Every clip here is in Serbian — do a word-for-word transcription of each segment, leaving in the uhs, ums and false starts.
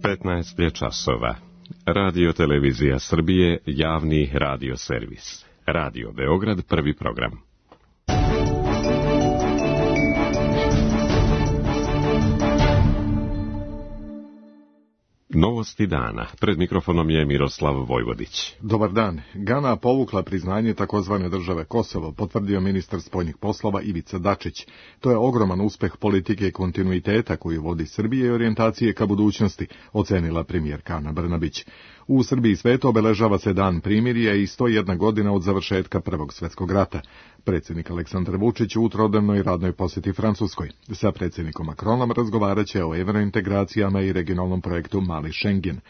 petnaest je časova. Radio Televizija Srbije, javni radio servis. Radio Beograd, prvi program. Novosti dana. Pred mikrofonom je Miroslav Vojvodić. Dobar dan. Gana povukla priznanje takozvane države Kosovo, potvrdio ministar spoljnih poslova Ivica Dačić. To je ogroman uspeh politike kontinuiteta koju vodi Srbije i orijentacije ka budućnosti, ocenila premijerka Ana Brnabić. U Srbiji sveto obeležava se dan primirja i sto jedna godina od završetka Prvog svjetskog rata. Predsjednik Aleksandar Vučić u trodnevnoj radnoj posjeti Francuskoj. Sa predsjednikom Macronom razgovaraće o evrointegracijama i regionalnom projektu Mali Schengen.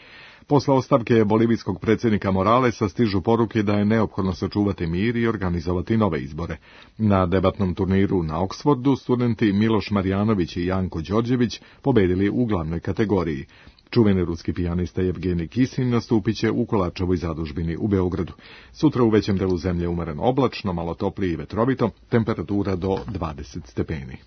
Posle ostavke bolivijskog predsjednika Moralesa stižu poruke da je neophodno sačuvati mir i organizovati nove izbore. Na debatnom turniru na Oksfordu studenti Miloš Marjanović i Janko Đorđević pobedili u glavnoj kategoriji. Čuveni ruski pijanista Evgenij Kisin nastupit će u Kolačevoj zadužbini u Beogradu. Sutra u većem delu zemlje umeren oblačno, malo toplije i vetrovito, temperatura do dvadeset stepeni.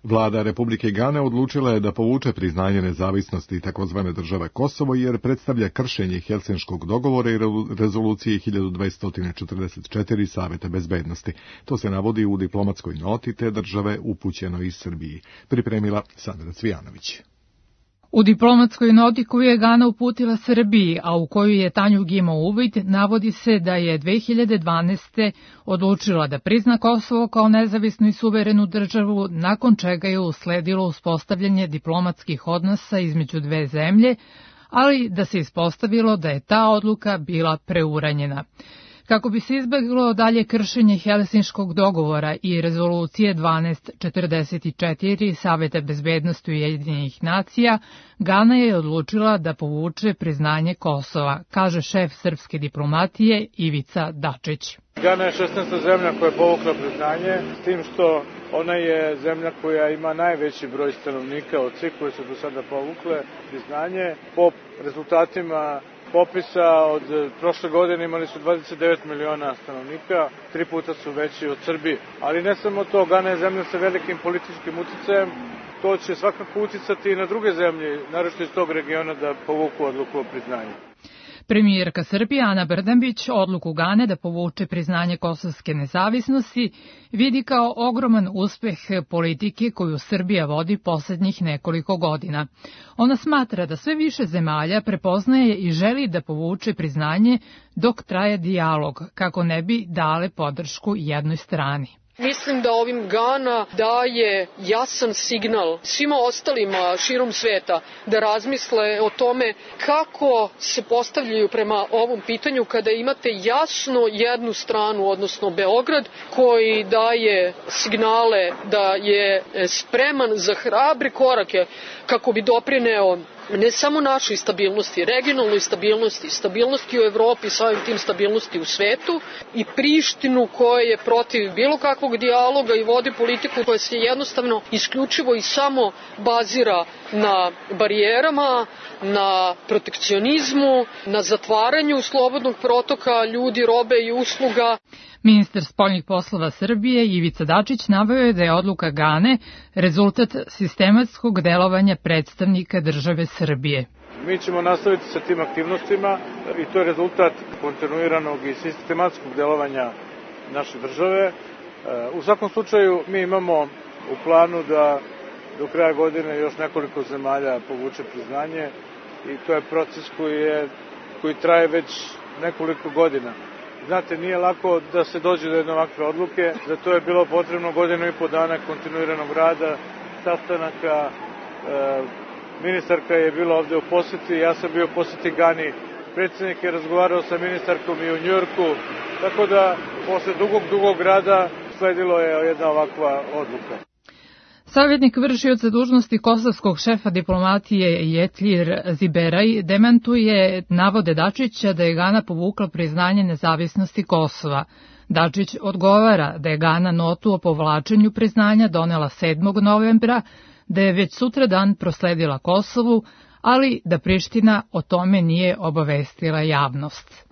Vlada Republike Gane odlučila je da povuče priznanje nezavisnosti takozvane države Kosovo jer predstavlja kršenje Helsinškog dogovora i rezolucije hiljadu dvesta četrdeset četiri Saveta bezbednosti. To se navodi u diplomatskoj noti te države upućenoj iz Srbiji. Pripremila Sandra Cvijanović. U diplomatskoj noti koju je Gana uputila Srbiji, a u koju je Tanjug imao uvid, navodi se da je dve hiljade dvanaeste. odlučila da prizna Kosovo kao nezavisnu i suverenu državu, nakon čega je usledilo uspostavljanje diplomatskih odnosa između dve zemlje, ali da se ispostavilo da je ta odluka bila preuranjena. Kako bi se izbeglo dalje kršenje Helsinškog dogovora i rezolucije dvanaest četrdeset četiri Saveta bezbednosti Ujedinjenih nacija, Gana je odlučila da povuče priznanje Kosova, kaže šef srpske diplomatije Ivica Dačić. Gana je šesnaesta zemlja koja je povukla priznanje, s tim što ona je zemlja koja ima najveći broj stanovnika od svih koje su do sada povukle priznanje. Po rezultatima popisa od prošle godine imali su dvadeset devet miliona stanovnika, tri puta su veći od Srbije. Ali ne samo to, Gana je zemlja sa velikim političkim uticajem, to će svakako uticati i na druge zemlje, naročito iz tog regiona, da povuku odluku o priznanju. Premijerka Srbije Ana Brnabić odluku Gane da povuče priznanje kosovske nezavisnosti vidi kao ogroman uspeh politike koju Srbija vodi poslednjih nekoliko godina. Ona smatra da sve više zemalja prepoznaje i želi da povuče priznanje dok traje dijalog, kako ne bi dale podršku jednoj strani. Mislim da ovim Gana daje jasan signal svima ostalima širom sveta da razmisle o tome kako se postavljaju prema ovom pitanju kada imate jasno jednu stranu, odnosno Beograd, koji daje signale da je spreman za hrabre korake kako bi doprineo ne samo našoj stabilnosti, regionalnoj stabilnosti, stabilnosti u Evropi, samim tim stabilnosti u svetu, i Prištinu koja je protiv bilo kakvog dijaloga i vodi politiku koja se jednostavno isključivo i samo bazira na barijerama, na protekcionizmu, na zatvaranju slobodnog protoka ljudi, robe i usluga. Ministar spoljnih poslova Srbije Ivica Dačić naveo je da je odluka Gane rezultat sistematskog delovanja predstavnika države Srbije. Mi ćemo nastaviti sa tim aktivnostima i to je rezultat kontinuiranog i sistematskog delovanja naše države. U svakom slučaju mi imamo u planu da do kraja godine još nekoliko zemalja povuče priznanje i to je proces koji, je, koji traje već nekoliko godina. Znate, nije lako da se dođe do jedne ovakve odluke, za to je bilo potrebno godinu i po dana kontinuiranog rada, sastanaka, e, ministarka je bila ovde u poseti, ja sam bio u poseti Gani, predsjednik je razgovarao sa ministarkom i u Njujorku, tako da posle dugog, dugog rada sledilo je jedna ovakva odluka. Savjetnik vršioca dužnosti kosovskog šefa diplomatije Jetlir Ziberaj demantuje navode Dačića da je Gana povukla priznanje nezavisnosti Kosova. Dačić odgovara da je Gana notu o povlačenju priznanja donela sedmog novembra, da je već sutradan prosledila Kosovu, ali da Priština o tome nije obavestila javnost.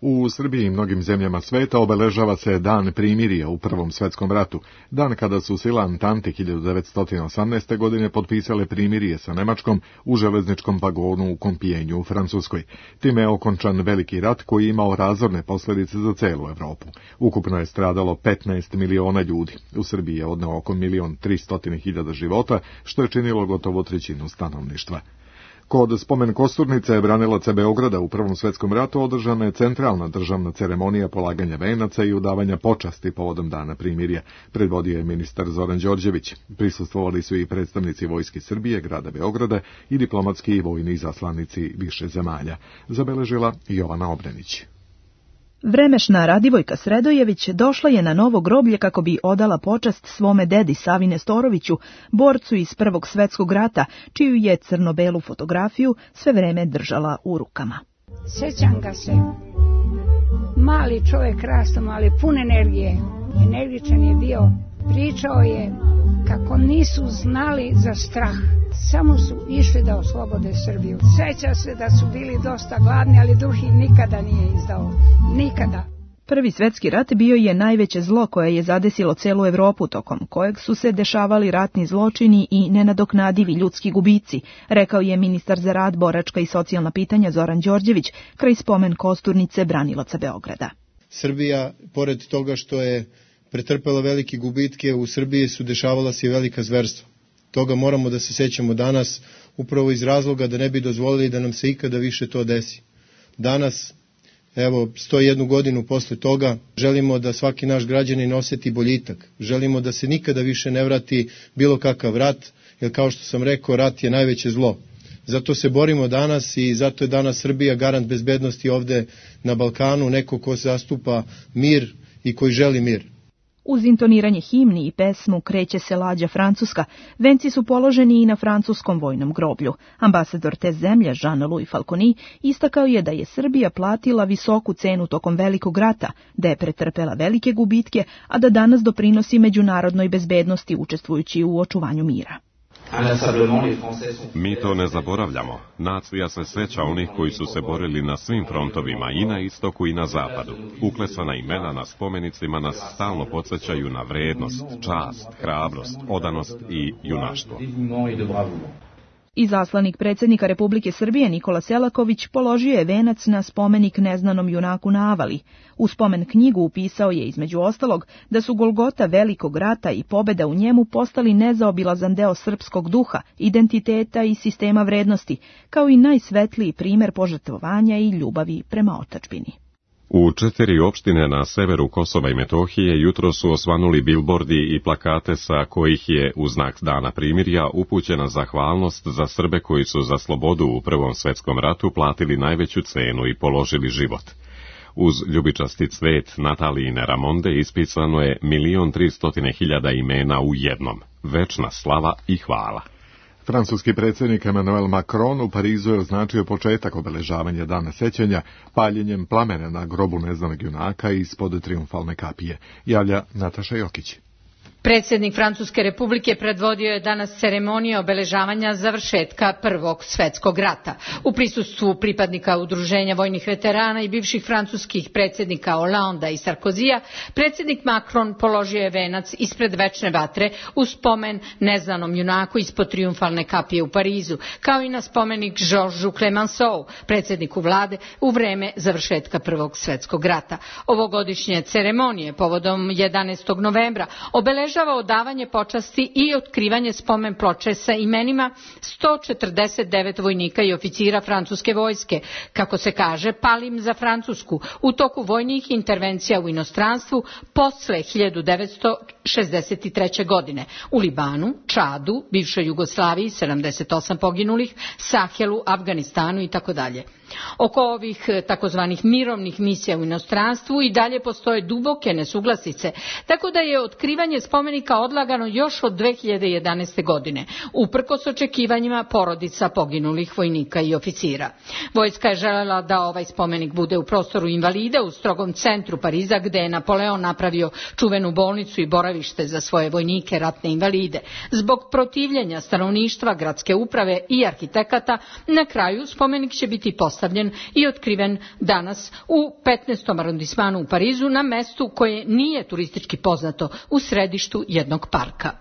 U Srbiji i mnogim zemljama sveta obeležava se Dan primirja u Prvom svetskom ratu, dan kada su sile Antante hiljadu devetsto osamnaeste. godine potpisale primirje sa Nemačkom u železničkom vagonu u Kompijenju u Francuskoj. Time je okončan veliki rat koji je imao razorne posljedice za celu Evropu. Ukupno je stradalo petnaest miliona ljudi. U Srbiji je odneo oko milion tristo hiljada života, što je činilo gotovo trećinu stanovništva. Kod spomen kosturnice branilaca Beograda u Prvom svetskom ratu održana je centralna državna ceremonija polaganja venaca i udavanja počasti povodom Dana primirja. Predvodio je ministar Zoran Đorđević. Prisustvovali su i predstavnici Vojske Srbije, grada Beograda i diplomatski i vojni izaslanici više zemalja. Zabeležila Jovana Obrenić. Vremešna Radivojka Sredojević došla je na novo groblje kako bi odala počast svome dedi Savi Nestoroviću, borcu iz Prvog svjetskog rata, čiju je crno-belu fotografiju sve vreme držala u rukama. Sjećam ga se. Mali čovjek rastom, ali pun energije. Energičan je bio. Pričao je kako nisu znali za strah. Samo su išli da oslobode Srbiju. Sjeća se da su bili dosta gladni, ali duh ih nikada nije izdao. Nikada. Prvi svjetski rat bio je najveće zlo koje je zadesilo celu Evropu, tokom kojeg su se dešavali ratni zločini i nenadoknadivi ljudski gubici, rekao je ministar za rad, boračka i socijalna pitanja Zoran Đorđević kraj spomen kosturnice branilaca Beograda. Srbija, pored toga što je pretrpela velike gubitke, u Srbiji su dešavala se i velika zverstva. Toga moramo da se sećamo danas, upravo iz razloga da ne bi dozvolili da nam se ikada više to desi. Danas, evo, sto jednu godinu posle toga, želimo da svaki naš građanin osjeti boljitak. Želimo da se nikada više ne vrati bilo kakav rat, jer kao što sam rekao, rat je najveće zlo. Zato se borimo danas i zato je danas Srbija garant bezbednosti ovde na Balkanu, neko ko zastupa mir i koji želi mir. Uz intoniranje himni i pesmu Kreće se lađa Francuska, venci su položeni i na francuskom vojnom groblju. Ambasador te zemlje, Jean-Louis Falconi, istakao je da je Srbija platila visoku cenu tokom velikog rata, da je pretrpela velike gubitke, a da danas doprinosi međunarodnoj bezbednosti učestvujući u očuvanju mira. Mi to ne zaboravljamo. Nacija se seća onih koji su se borili na svim frontovima, i na istoku i na zapadu. Uklesana imena na spomenicima nas stalno podsjećaju na vrednost, čast, hrabrost, odanost i junaštvo. Izaslanik predsjednika Republike Srbije Nikola Selaković položio je venac na spomenik neznanom junaku na Avali. U spomen knjigu upisao je između ostalog da su Golgota velikog rata i pobjeda u njemu postali nezaobilazan deo srpskog duha, identiteta i sistema vrednosti, kao i najsvetliji primjer požrtvovanja i ljubavi prema otadžbini. U četiri opštine na severu Kosova i Metohije jutro su osvanuli bilbordi i plakate sa kojih je u znak Dana primirja upućena zahvalnost za Srbe koji su za slobodu u Prvom svetskom ratu platili najveću cenu i položili život. Uz ljubičasti cvet Natalijine Ramonde ispisano je milion tristotine hiljada imena u jednom. Večna slava i hvala. Francuski predsjednik Emmanuel Macron u Parizu je označio početak obeležavanja Dana sećanja paljenjem plamena na grobu neznanog junaka ispod trijumfalne kapije. Javlja Nataša Jokić. Predsjednik Francuske republike predvodio je danas ceremonije obeležavanja završetka Prvog svjetskog rata. U prisustvu pripadnika udruženja vojnih veterana i bivših francuskih predsjednika Hollanda i Sarkozija, predsjednik Macron položio je venac ispred večne vatre u spomen neznanom junaku ispod trijumfalne kapije u Parizu, kao i na spomenik Georgesu Clemenceau, predsjedniku vlade u vreme završetka Prvog svjetskog rata. Ovogodišnje ceremonije povodom jedanaestog novembra obeležavaju odavanje počasti i otkrivanje spomen ploče sa imenima sto četrdeset devet vojnika i oficira francuske vojske, kako se kaže, palim za Francusku u toku vojnih intervencija u inostranstvu posle hiljadu devetsto šezdeset treće. godine u Libanu, Čadu, bivšoj Jugoslaviji sedamdeset osam poginulih, Sahelu, Afganistanu i tako dalje. Oko ovih takozvanih mirovnih misija u inostranstvu i dalje postoje duboke nesuglasice, tako da je otkrivanje spomenika odlagano još od dve hiljade jedanaeste. godine, uprkos očekivanjima porodica poginulih vojnika i oficira. Vojska je želela da ovaj spomenik bude u prostoru invalida u strogom centru Pariza, gde je Napoleon napravio čuvenu bolnicu i boravište za svoje vojnike ratne invalide. Zbog protivljenja stanovništva, gradske uprave i arhitekata, na kraju spomenik će biti postavljen postavljen i otkriven danas u petnaestom arondismanu u Parizu na mestu koje nije turistički poznato, u središtu jednog parka.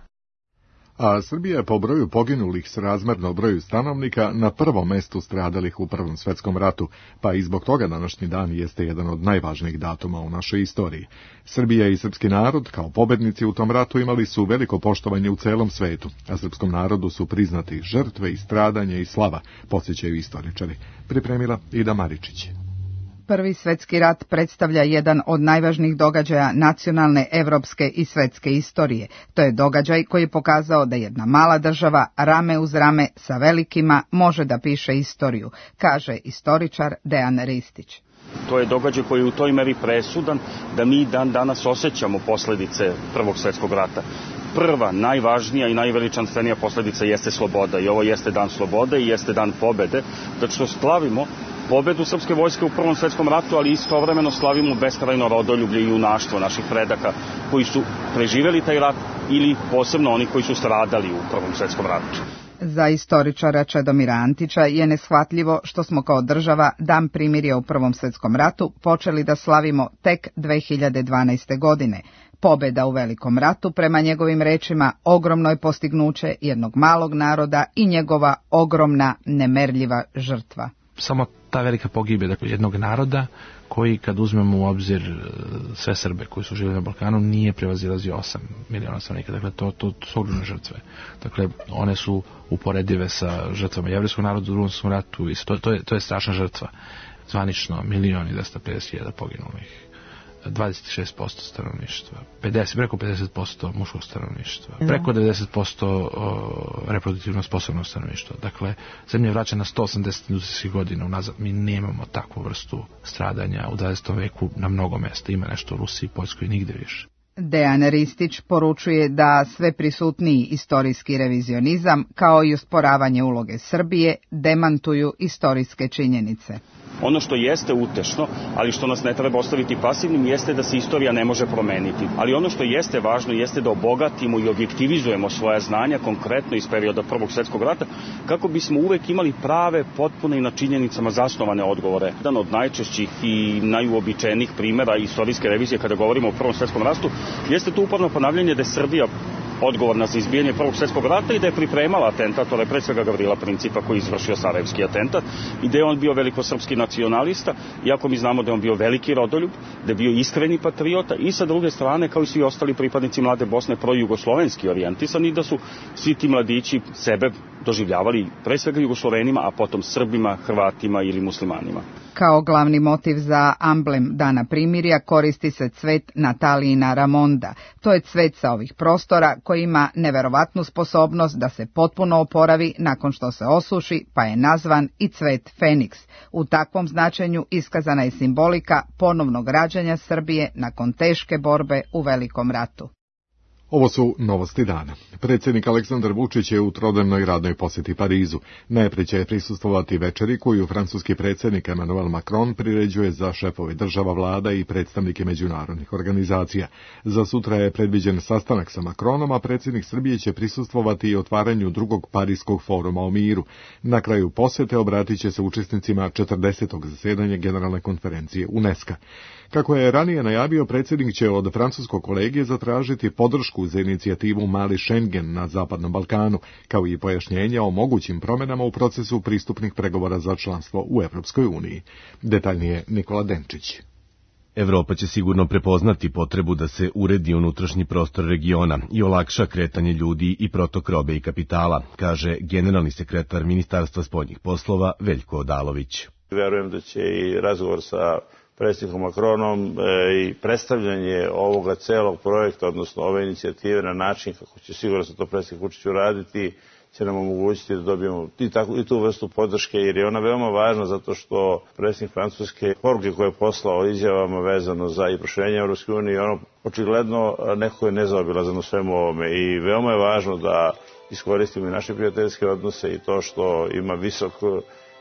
A Srbija je po broju poginulih srazmerno broju stanovnika na prvom mestu stradalih u Prvom svetskom ratu, pa i zbog toga današnji dan jeste jedan od najvažnijih datuma u našoj istoriji. Srbija i srpski narod, kao pobednici u tom ratu, imali su veliko poštovanje u celom svetu, a srpskom narodu su priznati žrtve i stradanje i slava, podsjećaju istoričari. Pripremila Ida Maričić. Prvi svetski rat predstavlja jedan od najvažnijih događaja nacionalne, evropske i svetske istorije. To je događaj koji je pokazao da jedna mala država rame uz rame sa velikima može da piše istoriju, kaže istoričar Dejan Ristić. To je događaj koji je u toj meri presudan da mi dan danas osjećamo posledice Prvog svetskog rata. Prva, najvažnija i najveličanstvenija posledica jeste sloboda i ovo jeste dan slobode i jeste dan pobede, zato što slavimo pobedu srpske vojske u Prvom svetskom ratu, ali istovremeno slavimo beskrajno rodoljublje i junaštvo naših predaka koji su preživjeli taj rat ili posebno oni koji su stradali u Prvom svetskom ratu. Za istoričara Čedomira Antića je neshvatljivo što smo kao država Dan primirja u Prvom svetskom ratu počeli da slavimo tek dve hiljade dvanaeste. godine. Pobeda u Velikom ratu, prema njegovim rečima, ogromno je postignuće jednog malog naroda i njegova ogromna, nemerljiva žrtva. Samo ta velika pogibija, dakle, jednog naroda koji, kad uzmemo u obzir sve Srbe koji su živjeli na Balkanu, nije prevazilazio osam miliona stanovnika. Dakle, to, to, to su ogromne žrtve. Dakle, one su uporedive sa žrtvama jevrejskog naroda u Drugom svjetskom ratu i to, to, je, to je strašna žrtva. Zvanično milion i dvesta pedeset hiljada poginulih. dvadeset šest posto stanovništva, pedeset, preko pedeset posto muškog stanovništva, preko devedeset posto reproduktivno sposobnog stanovništva. Dakle, zemlja je vraćena na sto osamdeset industrijskih godina unazad. Mi nemamo takvu vrstu stradanja u dvadesetom veku na mnogo mesta. Ima nešto u Rusiji, Poljskoj, nigde više. Dejan Ristić poručuje da sve prisutniji istorijski revizionizam, kao i usporavanje uloge Srbije, demantuju istorijske činjenice. Ono što jeste utešno, ali što nas ne treba ostaviti pasivnim, jeste da se istorija ne može promeniti. Ali ono što jeste važno jeste da obogatimo i objektivizujemo svoja znanja, konkretno iz perioda Prvog svjetskog rata, kako bismo uvek imali prave, potpune i na činjenicama zasnovane odgovore. Jedan od najčešćih i najuobičajenijih primjera istorijske revizije kada govorimo o Prvom svjetskom ratu jeste to uporno ponavljanje da je Srbija odgovorna za izbijanje Prvog svjetskog rata i da je pripremala atentat, to je pre svega Gavrila Principa koji je izvršio Sarajevski atentat i da je on bio velikosrpski nacionalista, iako mi znamo da je on bio veliki rodoljub, da je bio iskreni patriota i sa druge strane, kao i svi ostali pripadnici Mlade Bosne, projugoslovenski orijentisani, da su svi ti mladići sebe doživljavali pre svega Jugoslovenima, a potom Srbima, Hrvatima ili muslimanima. Kao glavni motiv za amblem Dana primirja koristi se cvet Natalijina Ramonda. To je cvet sa ovih prostora koji ima neverovatnu sposobnost da se potpuno oporavi nakon što se osuši, pa je nazvan i cvet Feniks. U takvom značenju iskazana je simbolika ponovnog rađanja Srbije nakon teške borbe u Velikom ratu. Ovo su novosti dana. Predsjednik Aleksandar Vučić je u trodnevnoj radnoj posjeti Parizu. Najprije će prisustvovati večeri koju francuski predsjednik Emmanuel Macron priređuje za šefove država, vlada i predstavnike međunarodnih organizacija. Za sutra je predviđen sastanak sa Macronom, a predsjednik Srbije će prisustvovati i otvaranju drugog Pariskog foruma o miru. Na kraju posjete obratit će se učesnicima četrdesetog zasedanja Generalne konferencije UNESCO. Kako je ranije najavio, predsjednik će od francuskog kolegije zatražiti podršku za inicijativu Mali Schengen na Zapadnom Balkanu, kao i pojašnjenja o mogućim promjenama u procesu pristupnih pregovora za članstvo u Evropskoj uniji. Detaljnije Nikola Denčić. Evropa će sigurno prepoznati potrebu da se uredi unutrašnji prostor regiona i olakša kretanje ljudi i protok robe i kapitala, kaže generalni sekretar Ministarstva spoljnih poslova Veljko Odalović. Verujem da će i razgovor sa predsjednikom Macronom i predstavljanje ovoga celog projekta, odnosno ove inicijative na način kako će sigurno se to predsjednik Vučić uraditi, će nam omogućiti da dobijemo i, tako, i tu vrstu podrške, jer je ona veoma važna zato što predsjednik Francuske poruke koje je poslao izjavama vezano za i proširenje Evropske unije, ono očigledno neko je nezaobilazan u svemu ovome i veoma je važno da iskoristimo i naše prijateljske odnose i to što ima visok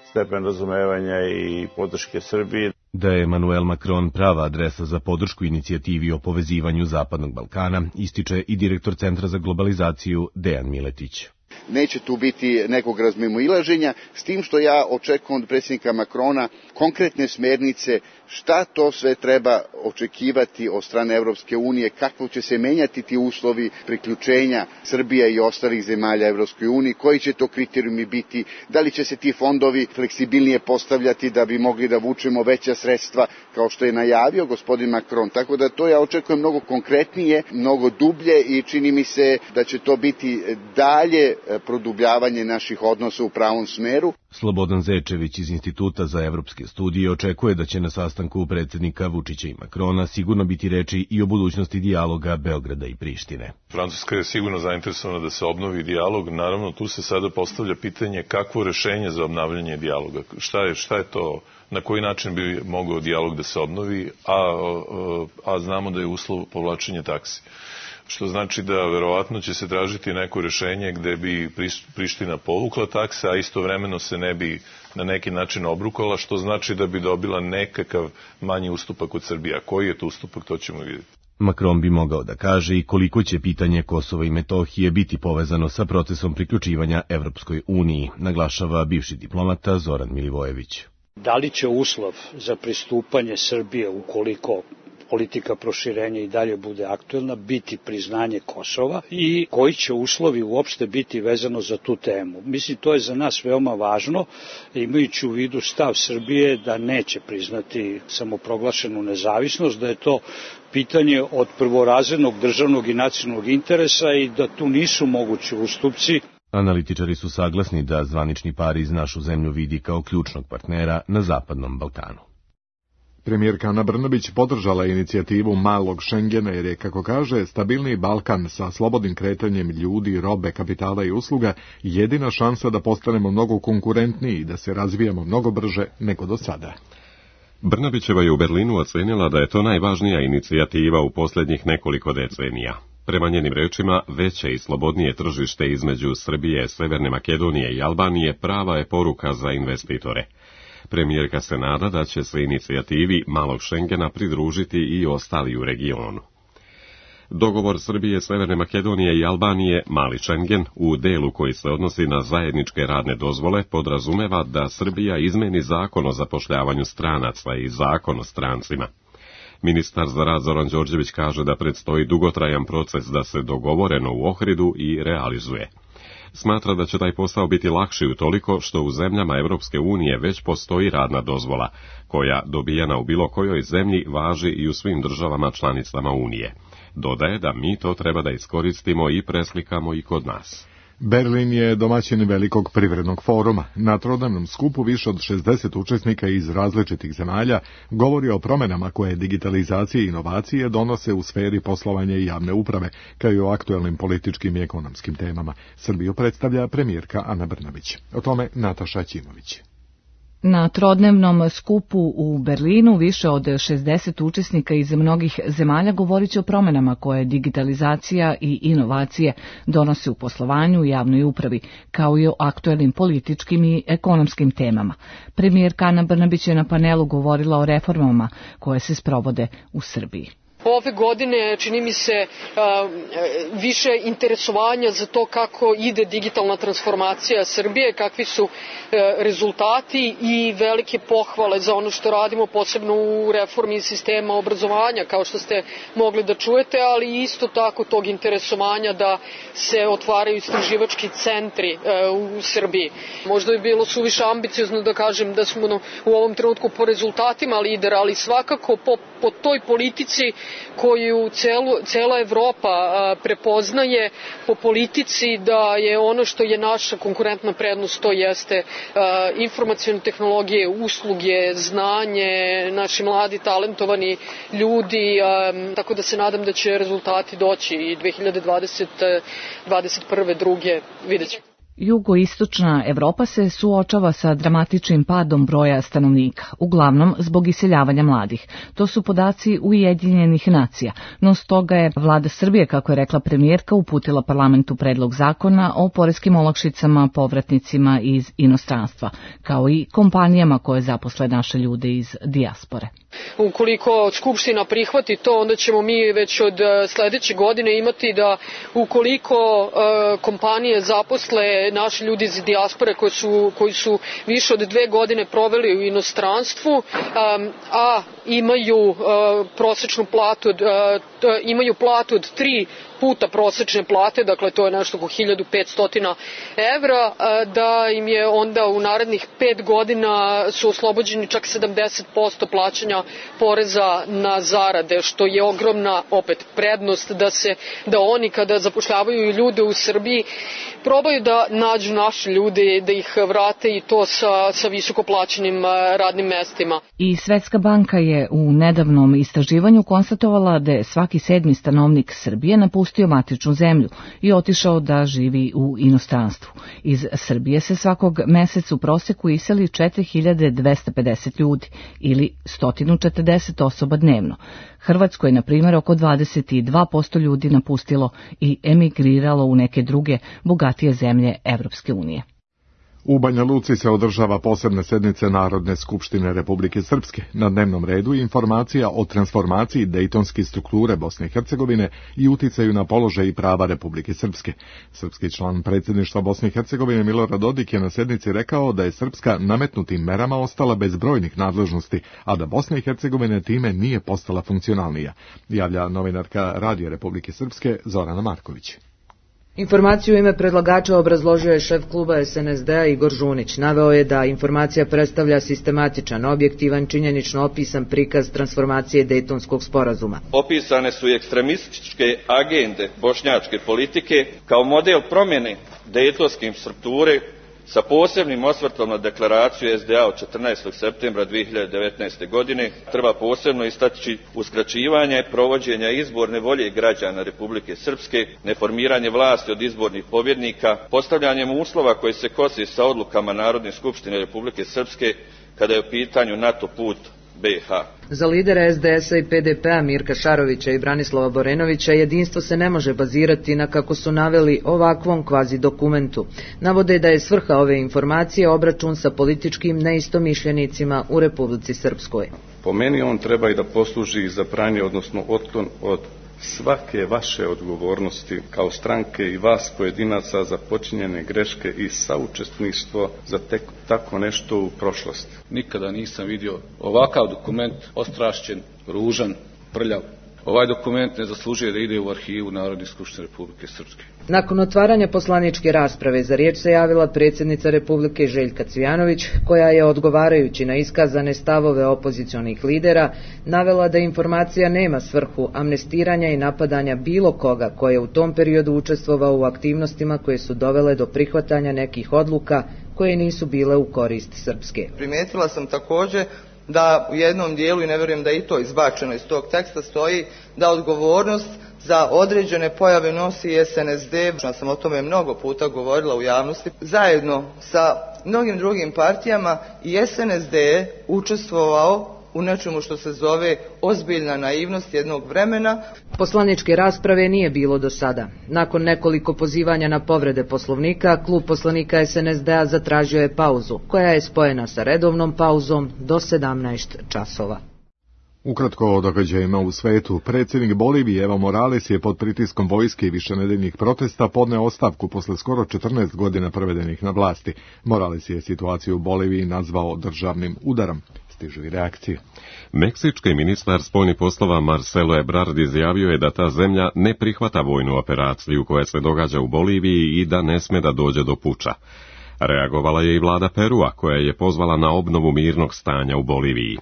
stepen razumevanja i podrške Srbiji. Da je Emmanuel Macron prava adresa za podršku inicijativi o povezivanju Zapadnog Balkana, ističe i direktor Centra za globalizaciju Dejan Miletić. neće tu biti nekog razmimoilaženja, s tim što ja očekujem od predsjednika Makrona konkretne smernice šta to sve treba očekivati od strane Evropske unije, kako će se menjati ti uslovi priključenja Srbije i ostalih zemalja Evropskoj uniji, koji će to kriterijumi biti, da li će se ti fondovi fleksibilnije postavljati da bi mogli da vučemo veća sredstva kao što je najavio gospodin Macron. Tako da to ja očekujem mnogo konkretnije, mnogo dublje i čini mi se da će to biti dalje produbljavanje naših odnosa u pravom smeru. Slobodan Zečević iz Instituta za evropske studije očekuje da će na sastanku predsjednika Vučića i Makrona sigurno biti reči i o budućnosti dijaloga Beograda i Prištine. Francuska je sigurno zainteresovana da se obnovi dijalog. Naravno, tu se sada postavlja pitanje kakvo rešenje za obnavljanje dijaloga. Šta je, šta je to, na koji način bi mogao dijalog da se obnovi, a, a, a znamo da je uslov povlačenje taksi. Što znači da verovatno će se tražiti neko rešenje gde bi Priština povukla takse, a istovremeno se ne bi na neki način obrukala, što znači da bi dobila nekakav manji ustupak od Srbije. A koji je to ustupak, to ćemo vidjeti. Macron bi mogao da kaže i koliko će pitanje Kosova i Metohije biti povezano sa procesom priključivanja Evropskoj uniji, naglašava bivši diplomata Zoran Milivojević. Da li će uslov za pristupanje Srbije, ukoliko politika proširenja i dalje bude aktuelna, biti priznanje Kosova i koji će uslovi uopšte biti vezano za tu temu. Mislim, to je za nas veoma važno, imajući u vidu stav Srbije da neće priznati samoproglašenu nezavisnost, da je to pitanje od prvorazrednog državnog i nacionalnog interesa i da tu nisu mogući ustupci. Analitičari su saglasni da zvanični Pariz našu zemlju vidi kao ključnog partnera na Zapadnom Balkanu. Premijerka Ana Brnabić podržala inicijativu malog Šengena jer je, kako kaže, stabilniji Balkan sa slobodnim kretanjem ljudi, robe, kapitala i usluga jedina šansa da postanemo mnogo konkurentniji i da se razvijamo mnogo brže nego do sada. Brnabićeva je u Berlinu ocenila da je to najvažnija inicijativa u posljednjih nekoliko decenija. Prema njenim rečima, veće i slobodnije tržište između Srbije, Severne Makedonije i Albanije prava je poruka za investitore. Premijerka se nada da će se inicijativi malog Šengena pridružiti i ostali u regionu. Dogovor Srbije, Severne Makedonije i Albanije, mali Šengen, u delu koji se odnosi na zajedničke radne dozvole, podrazumeva da Srbija izmeni zakon o zapošljavanju stranaca i zakon o strancima. Ministar za rad Zoran Đorđević kaže da predstoji dugotrajan proces da se dogovoreno u Ohridu i realizuje. Smatra da će taj posao biti lakši utoliko što u zemljama Evropske unije već postoji radna dozvola, koja dobijena u bilo kojoj zemlji važi i u svim državama članicama Unije. Dodaje da mi to treba da iskoristimo i preslikamo i kod nas. Berlin je domaćin velikog privrednog foruma. Na trodnevnom skupu više od šezdeset učesnika iz različitih zemalja govori o promjenama koje digitalizacije i inovacije donose u sferi poslovanja i javne uprave, kao i o aktuelnim političkim i ekonomskim temama. Srbiju predstavlja premijerka Ana Brnabić. O tome Nataša Ćimović. Na trodnevnom skupu u Berlinu više od šezdeset učesnika iz mnogih zemalja govorit će o promjenama koje digitalizacija i inovacije donose u poslovanju i javnoj upravi, kao i o aktuelnim političkim i ekonomskim temama. Premijerka Ana Brnabić je na panelu govorila o reformama koje se sprovode u Srbiji. Ove godine čini mi se više interesovanja za to kako ide digitalna transformacija Srbije, kakvi su rezultati i velike pohvale za ono što radimo, posebno u reformi sistema obrazovanja, kao što ste mogli da čujete, ali isto tako tog interesovanja da se otvaraju istraživački centri u Srbiji. Možda bi bilo suviše ambiciozno da kažem da smo u ovom trenutku po rezultatima lider, ali svakako po, po toj politici koju celu, cela Evropa a, prepoznaje, po politici da je ono što je naša konkurentna prednost, to jeste a, informacione tehnologije, usluge, znanje, naši mladi talentovani ljudi, a, tako da se nadam da će rezultati doći i dve hiljade dvadesete, dvadeset prve, druge, vidjet ćemo. Jugoistočna Evropa se suočava sa dramatičnim padom broja stanovnika, uglavnom zbog iseljavanja mladih. To su podaci Ujedinjenih nacija, no stoga je vlada Srbije, kako je rekla premijerka, uputila parlamentu predlog zakona o poreskim olakšicama povratnicima iz inostranstva, kao i kompanijama koje zaposle naše ljude iz dijaspore. Ukoliko Skupština prihvati to, onda ćemo mi već od sledeće godine imati da ukoliko uh, kompanije zaposle naši ljudi iz dijaspore koji su, koji su više od dve godine proveli u inostranstvu, um, a imaju uh, prosečnu platu, uh, imaju platu od tri puta prosečne plate, dakle to je nešto oko hiljadu petsto evra, da im je onda u narednih pet godina su oslobođeni čak sedamdeset posto plaćanja poreza na zarade, što je ogromna opet prednost da se da oni kada zapošljavaju ljude u Srbiji probaju da nađu naše ljude, da ih vrate i to sa, sa visoko plaćenim radnim mestima. I Svetska banka je u nedavnom istraživanju konstatovala da je svaki sedmi stanovnik Srbije napustio matičnu zemlju i otišao da živi u inostranstvu. Iz Srbije se svakog meseca u proseku iseli četiri hiljade dvesta pedeset ljudi ili sto četrdeset osoba dnevno. Hrvatskoj je, na primjer, oko dvadeset dva posto ljudi napustilo i emigriralo u neke druge bogatije zemlje Evropske unije. U Banja Luci se održava posebne sednice Narodne skupštine Republike Srpske. Na dnevnom redu je informacija o transformaciji dejtonske strukture Bosne i Hercegovine i uticaju na položaj i prava Republike Srpske. Srpski član predsjedništva Bosne i Hercegovine Milorad Dodik je na sednici rekao da je Srpska nametnutim merama ostala bez brojnih nadležnosti, a da Bosna i Hercegovina time nije postala funkcionalnija, javlja novinarka Radija Republike Srpske Zorana Marković. Informaciju u ime predlagača obrazložio je šef kluba es en es de-a Igor Žunić. Naveo je da informacija predstavlja sistematičan, objektivan, činjenično opisan prikaz transformacije Dejtonskog sporazuma. Opisane su i ekstremističke agende bošnjačke politike kao model promjene dejtonske strukture sa posebnim osvrtom na deklaraciju es de a od četrnaestog septembra dve hiljade devetnaeste. godine. Treba posebno istaći uskraćivanje provođenja izborne volje građana Republike Srpske, neformiranje vlasti od izbornih pobjednika, postavljanjem uslova koji se kose sa odlukama Narodne skupštine Republike Srpske kada je u pitanju NATO put be ha. Za lidera es de es-a i pe de pe-a Mirka Šarovića i Branislava Borenovića jedinstvo se ne može bazirati na, kako su naveli, ovakvom kvazi dokumentu. Navode da je svrha ove informacije obračun sa političkim neistomišljenicima u Republici Srpskoj. Po meni on treba i da posluži za pranje, odnosno otklon od svake vaše odgovornosti kao stranke i vas pojedinaca za počinjene greške i saučesništvo za tek, tako nešto u prošlosti. Nikada nisam vidio ovakav dokument, ostrašćen, ružan, prljav. Ovaj dokument ne zaslužuje da ide u arhivu Narodne skupštine Republike Srpske. Nakon otvaranja poslaničke rasprave za riječ se javila predsjednica Republike Željka Cvijanović, koja je, odgovarajući na iskazane stavove opozicionih lidera, navela da informacija nema svrhu amnestiranja i napadanja bilo koga ko je u tom periodu učestvovao u aktivnostima koje su dovele do prihvatanja nekih odluka koje nisu bile u korist Srpske. Primijetila sam također da u jednom dijelu, i ne vjerujem da je i to izbačeno iz tog teksta, stoji da odgovornost za određene pojave nosi es en es de. Ja sam o tome mnogo puta govorila u javnosti. Zajedno sa mnogim drugim partijama i es en es de je učestvovao u nečemu što se zove ozbiljna naivnost jednog vremena. Poslaničke rasprave nije bilo do sada. Nakon nekoliko pozivanja na povrede Poslovnika, klub poslanika es en es de-a zatražio je pauzu, koja je spojena sa redovnom pauzom do sedamnaest časova. Ukratko o događajima u svetu, predsjednik Bolivije Evo Morales je pod pritiskom vojske i višenedeljnih protesta podneo ostavku posle skoro četrnaest godina provedenih na vlasti. Morales je situaciju u Boliviji nazvao državnim udarom. Stižu i reakcije. Meksički ministar spoljnih poslova Marcelo Ebrard izjavio je da ta zemlja ne prihvata vojnu operaciju koja se događa u Boliviji i da ne sme da dođe do puča. Reagovala je i vlada Perua, koja je pozvala na obnovu mirnog stanja u Boliviji.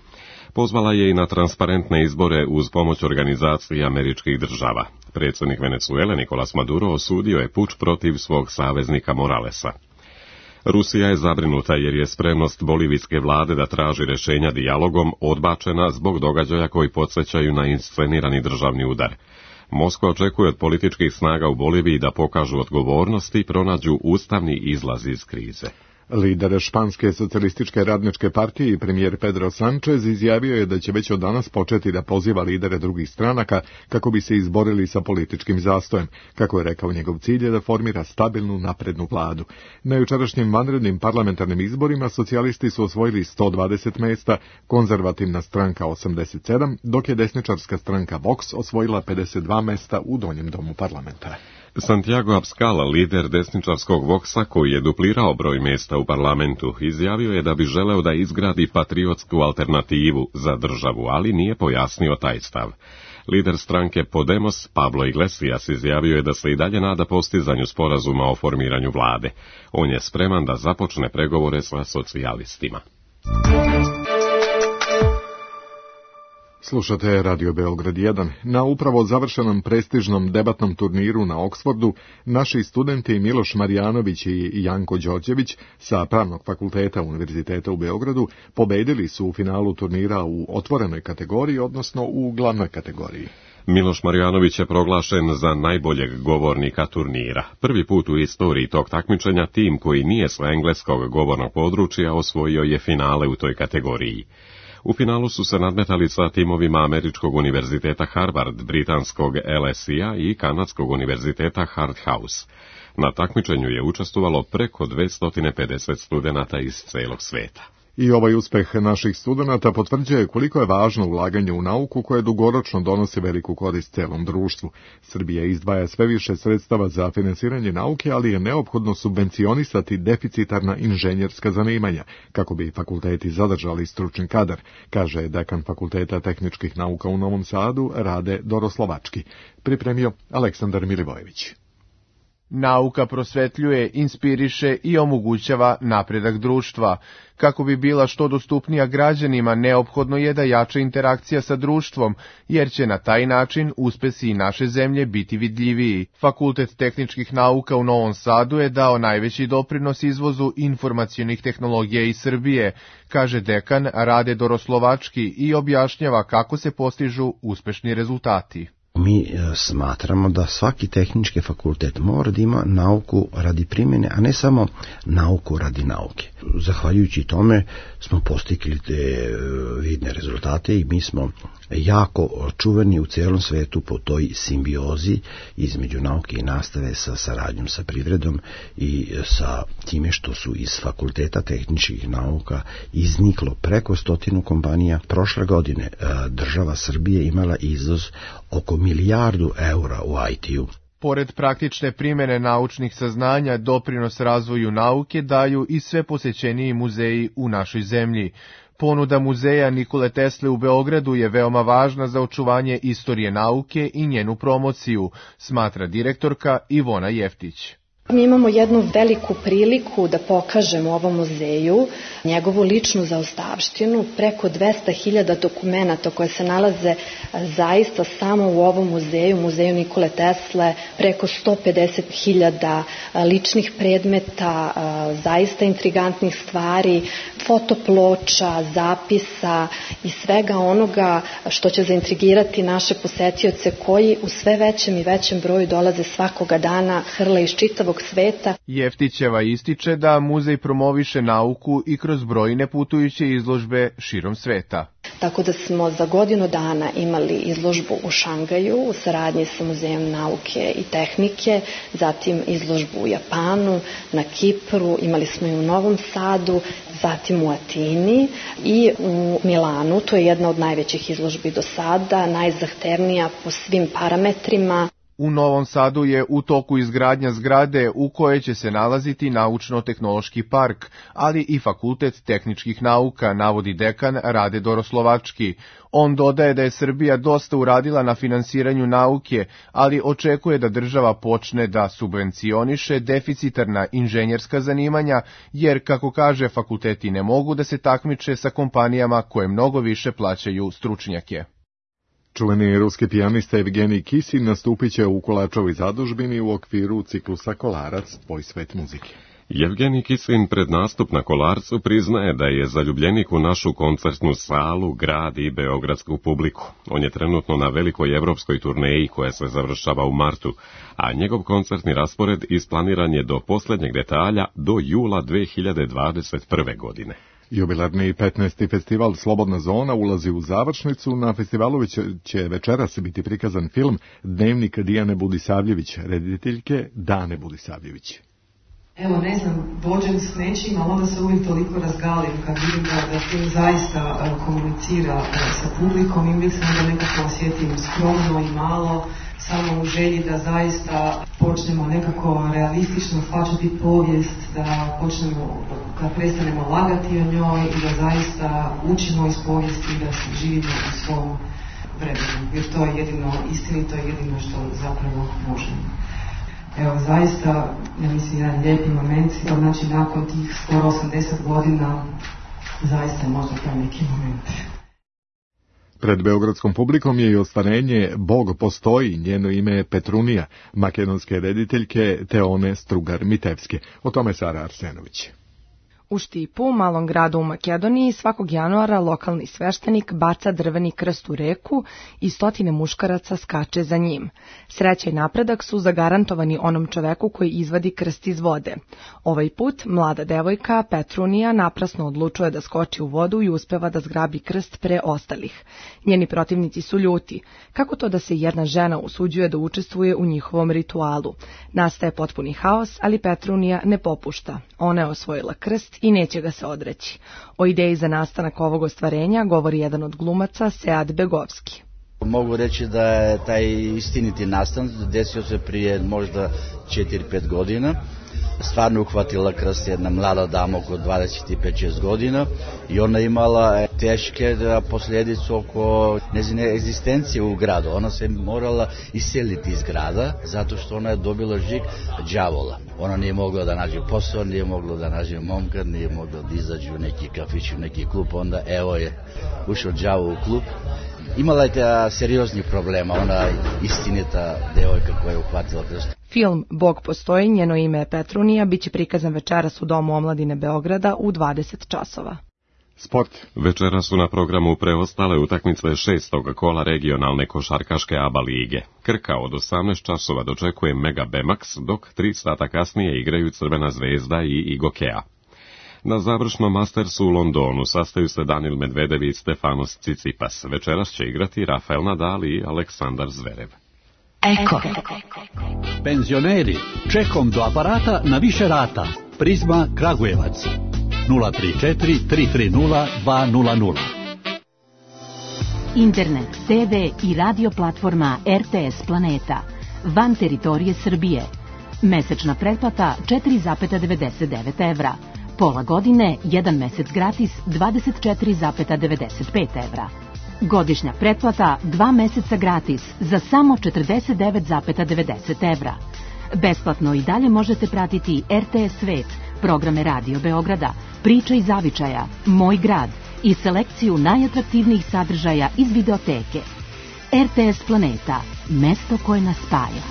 Pozvala je i na transparentne izbore uz pomoć organizacije američkih država. Predsjednik Venezuele Nicolas Maduro osudio je puč protiv svog saveznika Moralesa. Rusija je zabrinuta jer je spremnost bolivijske vlade da traži rješenja dijalogom odbačena zbog događaja koji podsjećaju na inscenirani državni udar. Moskva očekuje od političkih snaga u Boliviji da pokažu odgovornost i pronađu ustavni izlaz iz krize. Lider Španske socijalističke radničke partije i premijer Pedro Sanchez izjavio je da će već od danas početi da poziva lidere drugih stranaka kako bi se izborili sa političkim zastojem. Kako je rekao, njegov cilj je da formira stabilnu naprednu vladu. Na jučerašnjim vanrednim parlamentarnim izborima socijalisti su osvojili sto dvadeset mesta, konzervativna stranka osamdeset sedam, dok je desničarska stranka Vox osvojila pedeset dva mesta u donjem domu parlamenta. Santiago Abascal, lider desničarskog Voxa, koji je duplirao broj mjesta u parlamentu, izjavio je da bi želeo da izgradi patriotsku alternativu za državu, ali nije pojasnio taj stav. Lider stranke Podemos, Pablo Iglesias, izjavio je da se i dalje nada postizanju sporazuma o formiranju vlade. On je spreman da započne pregovore sa socijalistima. Slušate Radio Beograd jedan. Na upravo završenom prestižnom debatnom turniru na Oksfordu, naši studenti Miloš Marjanović i Janko Đorđević sa Pravnog fakulteta Univerziteta u Beogradu pobedili su u finalu turnira u otvorenoj kategoriji, odnosno u glavnoj kategoriji. Miloš Marjanović je proglašen za najboljeg govornika turnira. Prvi put u istoriji tog takmičenja tim koji nije sa engleskog govornog područja osvojio je finale u toj kategoriji. U finalu su se nadmetali sa timovima Američkog univerziteta Harvard, Britanskog L S I-a i Kanadskog univerziteta Hard House. Na takmičenju je učestvovalo preko dvesta pedeset studenata iz celog sveta. I ovaj uspeh naših studenata potvrđuje koliko je važno ulaganje u nauku koje dugoročno donosi veliku korist celom društvu. Srbija izdvaja sve više sredstava za finansiranje nauke, ali je neophodno subvencionisati deficitarna inženjerska zanimanja, kako bi fakulteti zadržali stručni kadar, kaže dekan Fakulteta tehničkih nauka u Novom Sadu, Rade Doroslovački. Pripremio Aleksandar Milivojević. Nauka prosvetljuje, inspiriše i omogućava napredak društva. Kako bi bila što dostupnija građanima, neophodno je da jača interakcija sa društvom, jer će na taj način uspesi i naše zemlje biti vidljiviji. Fakultet tehničkih nauka u Novom Sadu je dao najveći doprinos izvozu informacionih tehnologija iz Srbije, kaže dekan Rade Doroslovački i objašnjava kako se postižu uspešni rezultati. Mi smatramo da svaki tehnički fakultet mora da ima nauku radi primjene, a ne samo nauku radi nauke. Zahvaljujući tome smo postigli te vidne rezultate i mi smo jako čuveni u celom svetu po toj simbiozi između nauke i nastave sa saradnjom sa privredom i sa time što su iz Fakulteta tehničkih nauka izniklo preko stotinu kompanija. Prošle godine država Srbije imala izvoz oko milijardu eura u I T-u. Pored praktične primjene naučnih saznanja, doprinos razvoju nauke daju i sve posećeniji muzeji u našoj zemlji. Ponuda muzeja Nikole Tesle u Beogradu je veoma važna za očuvanje istorije nauke i njenu promociju, smatra direktorka Ivona Jeftić. Mi imamo jednu veliku priliku da pokažemo ovom muzeju njegovu ličnu zaostavštinu, preko dvesta hiljada dokumenata koje se nalaze zaista samo u ovom muzeju, muzeju Nikole Tesle, preko sto pedeset hiljada ličnih predmeta, zaista intrigantnih stvari, fotoploča, zapisa i svega onoga što će zaintrigirati naše posetioce koji u sve većem i većem broju dolaze svakoga dana, hrle iz čitavog sveta. Jeftićeva ističe da muzej promoviše nauku i kroz brojne putujuće izložbe širom sveta. Tako da smo za godinu dana imali izložbu u Šangaju u saradnji sa Muzejom nauke i tehnike, zatim izložbu u Japanu, na Kipru, imali smo i u Novom Sadu, zatim u Atini i u Milanu. To je jedna od najvećih izložbi do sada, najzahtevnija po svim parametrima. U Novom Sadu je u toku izgradnja zgrade u kojoj će se nalaziti naučno-tehnološki park, ali i Fakultet tehničkih nauka, navodi dekan Rade Doroslovački. On dodaje da je Srbija dosta uradila na finansiranju nauke, ali očekuje da država počne da subvencioniše deficitarna inženjerska zanimanja, jer, kako kaže, fakulteti ne mogu da se takmiče sa kompanijama koje mnogo više plaćaju stručnjake. Čuveni ruski pijanista Evgenij Kisin nastupit će u Kolačovoj zadužbini u okviru ciklusa Kolarac, tvoj svet muzike. Jevgenij Kislin pred nastup na Kolarcu priznaje da je zaljubljenik u našu koncertnu salu, grad i beogradsku publiku. On je trenutno na velikoj evropskoj turneji koja se završava u martu, a njegov koncertni raspored isplaniran je do posljednjeg detalja do jula dve hiljade dvadeset prve. godine. Jubilarni petnaesti festival Slobodna zona ulazi u završnicu. Na festivalu će večeras biti prikazan film Dnevnik Dijane Budisavljević, rediteljke Dane Budisavljević. Evo, ne znam, dođem s nečim, ali onda se uvijek toliko razgalim kad vidim da, da film zaista uh, komunicira uh, sa publikom i uvijek se onda nekako osjetim skromno i malo, samo u želji da zaista počnemo nekako realistično shvaćati povijest, da počnemo, da prestanemo lagati o njoj i da zaista učimo iz povijesti i da se živimo u svom vremenu, jer to je jedino istinito i jedino što zapravo možemo. Evo, zaista, ja mislim, jedan lijepi moment, znači nakon tih skoro osamdeset godina, zaista je možda taj neki moment. Pred beogradskom publikom je i ostvarenje Bog postoji, njeno ime je Petrunija, makedonske rediteljke Teone Strugar-Mitevske. O tome Sara Arsenović. U Štipu, malom gradu u Makedoniji, svakog januara lokalni sveštenik baca drveni krst u reku i stotine muškaraca skače za njim. Sreća i napredak su zagarantovani onom čoveku koji izvadi krst iz vode. Ovaj put mlada devojka Petrunija naprasno odlučuje da skoči u vodu i uspeva da zgrabi krst pre ostalih. Njeni protivnici su ljuti. Kako to da se jedna žena usuđuje da učestvuje u njihovom ritualu? Nastaje potpuni haos, ali Petrunija ne popušta. Ona je osvojila krst i neće ga se odreći. O ideji za nastanak ovog ostvarenja govori jedan od glumaca, Sead Begovski. Mogu reći da je taj istiniti nastan desio se prije možda četiri pet godina. Stvarno uhvatila krst jedna mlada dama oko dvadeset pet šest godina i ona imala teške posljedice oko njezine egzistencije u gradu. Ona se morala iseliti iz grada zato što ona je dobila žig đavola. Ona nije mogla da nađe posao, nije mogla da nađe momka, nije mogla da izađe u neki kafić, u neki klub. Onda evo je ušao đavo u klub. Imala je serioznih problema, ona istinita devojka koja je uhvatila krst. Film Bog postoji, njeno ime je Petrunija, bit će prikazan večeras u Domu omladine Beograda u dvadeset časova. Sport. Večera su na programu preostale utakmice šestog kola regionalne košarkaške A B A lige. Krka od osamnaest časova dočekuje Mega Bemax, dok tri sata kasnije igraju Crvena zvezda i Igokea. Na završnom Mastersu u Londonu sastaju se Danil Medvedev i Stefanos Tsitsipas. Večeras će igrati Rafael Nadal i Aleksandar Zverev. Eko. Penzioneri, čekom do aparata na više rata. Prizma Kragujevac. nula tri četiri tri tri nula dva nula nula. Internet, te ve i radio platforma er te es Planeta. Van teritorije Srbije. Mesečna pretplata četiri zarez devedeset devet evra. Pola godine, jedan mesec gratis, dvadeset četiri zarez devedeset pet evra. Godišnja pretplata, dva meseca gratis, za samo četrdeset devet zarez devedeset evra. Besplatno i dalje možete pratiti er te es Svet, programe Radio Beograda, Priča iz zavičaja, Moj grad i selekciju najatraktivnijih sadržaja iz videoteke. er te es Planeta, mesto koje nas spaja.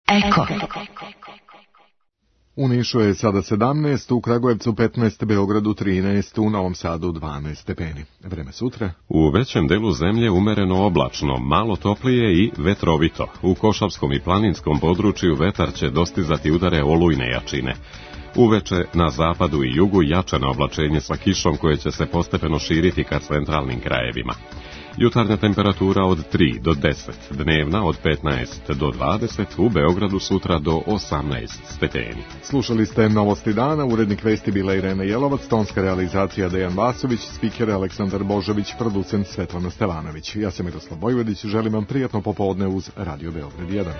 Eko. U Nišu je sada sedamnaest, u Kragujevcu petnaest, Beogradu trinaest, u Novom Sadu dvanaest stepeni. Vreme sutra. U većem delu zemlje umereno oblačno, malo toplije i vetrovito. U Košavskom i planinskom području vetar će dostizati udare olujne jačine. Uveče na zapadu i jugu jačano oblačenje sa kišom koje će se postepeno širiti ka centralnim krajevima. Jutarnja temperatura od tri do deset, dnevna od petnaest do dvadeset, u Beogradu sutra do osamnaest stepeni. Slušali ste Novosti dana, urednik vesti bila Irena Jelovac, tonska realizacija Dejan Vasović, spiker Aleksandar Božović, producent Svetlana Stevanović. Ja sam Miroslav Vojvodić, želim vam prijatno popodne uz Radio Beograd jedan.